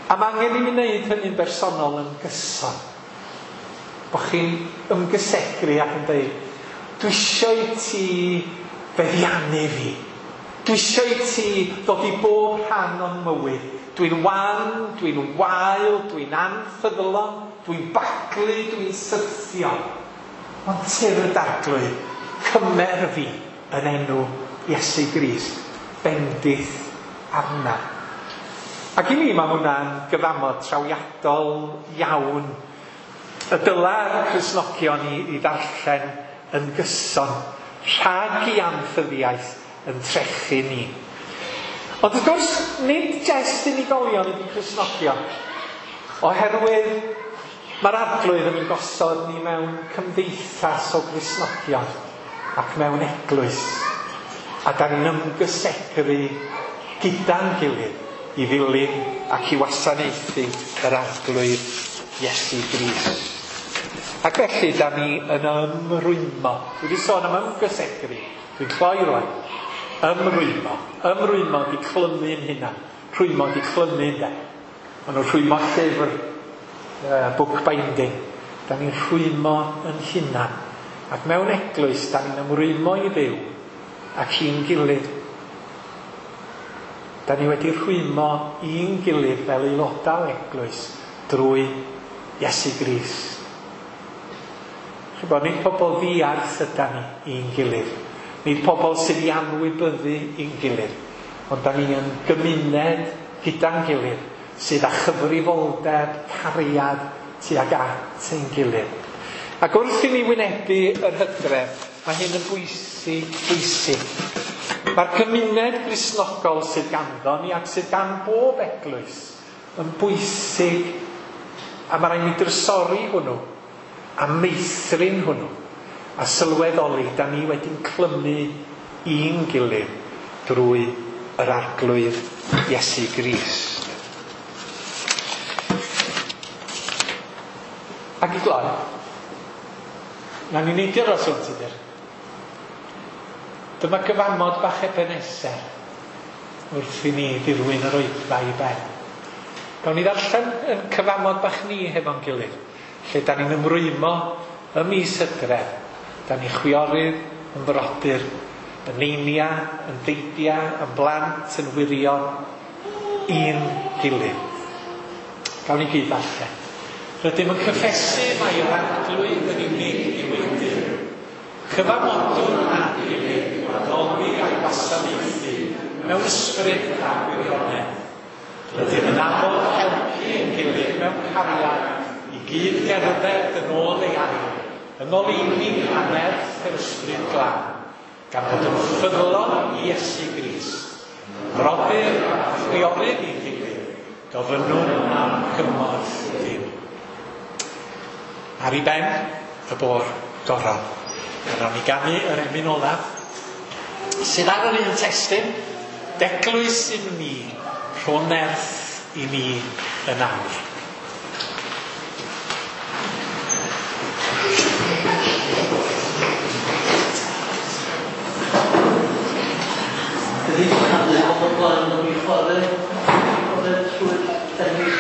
A mae angen i mi wneud hynny'n bersonol yn gyson. Bo chi'n ymgysegru ac yn dweud, dwi eisiau i ti feddiannu fi. Dwi eisiau i ti ddod i bob rhan o'n mywyd. Dwi'n wan, dwi'n wael, dwi'n anffyddlon, dwi'n baglu, dwi'n syrthio. Ond tyrd Arglwydd, cymer fi yn enw Iesu Grist, bendith arna. Ac i mi mae hwnna'n gyfamod trawiadol iawn. Y dyla'r Cristnogion i ddarllen yn gyson, rhag i anffyddiaeth yn trechu ni. Ond wrth gwrs, nid jest unigolion ydy Cristnogion, oherwydd mae'r Arglwydd yn ein gosod ni mewn cymdeithas o Gristnogion ac mewn eglwys, a da ni'n ymgysegru gyda'n gilydd i ddilyn ac i wasanaethu yr Arglwydd Iesu Grist. Ac felly da ni yn ymrwymo. Dwi wedi sôn am ymgysegru. Dwi'n cloi rwan. Ymrwymo. Ymrwymo di clymu'n hunan. Rhwymo di clymu, ynde. Maen nhw'n rhwymo llyfr, bookbinding. Da ni'n rhwymo yn hunan. Ac mewn eglwys, da ni'n ymrwymo i Dduw ac i'n gilydd. Da ni wedi rhwymo i'n gilydd fel aelodau eglwys drwy Iesu Grist. Chibod, nid pobl ddiarth ydan ni i'n gilydd. Nid pobl sydd i anwybyddu i'n gilydd. Ond da ni yn gymuned gyda'n gilydd sydd â chyfrifoldeb, cariad tuag at ein gilydd. Ac wrth i ni wynebu yr hydref, mae hyn yn bwysig, bwysig. Mae'r gymuned Gristnogol sydd ganddo ni ac sydd gan bob eglwys yn bwysig, a mae rhaid ni drysori hwnnw a meithrin hwnnw a sylweddoli da ni wedi'n clymu i'n gilydd drwy yr Arglwydd Iesu Grist. Ac i gloi, na ni neidio dros hwn, Tudur. Dyma gyfamod bach Ebenezer wrth i ni ddirwyn yr oedfa i ben. Gawn ni ddarllen yn cyfamod bach ni hefo'n gilydd, lle da ni'n ymrwymo ym mis Hydref, da ni chwiorydd, yn brodyr, yn neinia, yn deidia, yn blant, yn wirion, i'n gilydd. Gawn ni gyd ddarllen. Rydym yn cyffesu mai yr Arglwydd yn unig yw ein Duw. Cyfamodwn â'n gilydd i'w addoli a'i wasanaethu mewn ysbryd a gwirionedd. Rydym yn addo helpu ein gilydd mewn cariad i gyd gerdded yn ôl ei air, yn ngoleuni a nerth yr Ysbryd Glân, gan fod yn ffyddlon i Iesu Grist. Brodyr a chwiorydd i'n gilydd, gofynnwn am gymorth Duw. Ar ei ben, y bôr goron. A nawn ni ganu yr emyn olaf, sydd ar yr un testun, d'eglwys i ni, rho nerth i ni yn awr. Ydy canu o'r blaen o'n i chwarae trwy'r ennill.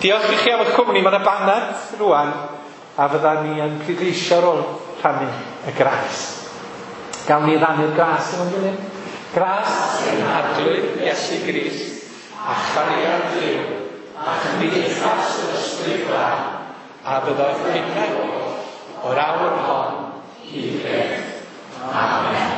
Diolch i chi am y cwmni. Mae yna banad rwan a fydda ni yn pleidleisio ar ôl rhannu y gras. Gawn ni rannu'r gras efo'n gilydd? Gras ein Arglwydd Iesu Grist a chariad Duw a chymdeithas yr Ysbryd Glân a byddo'r chwithau o'r awr hon hyd byth. Amen.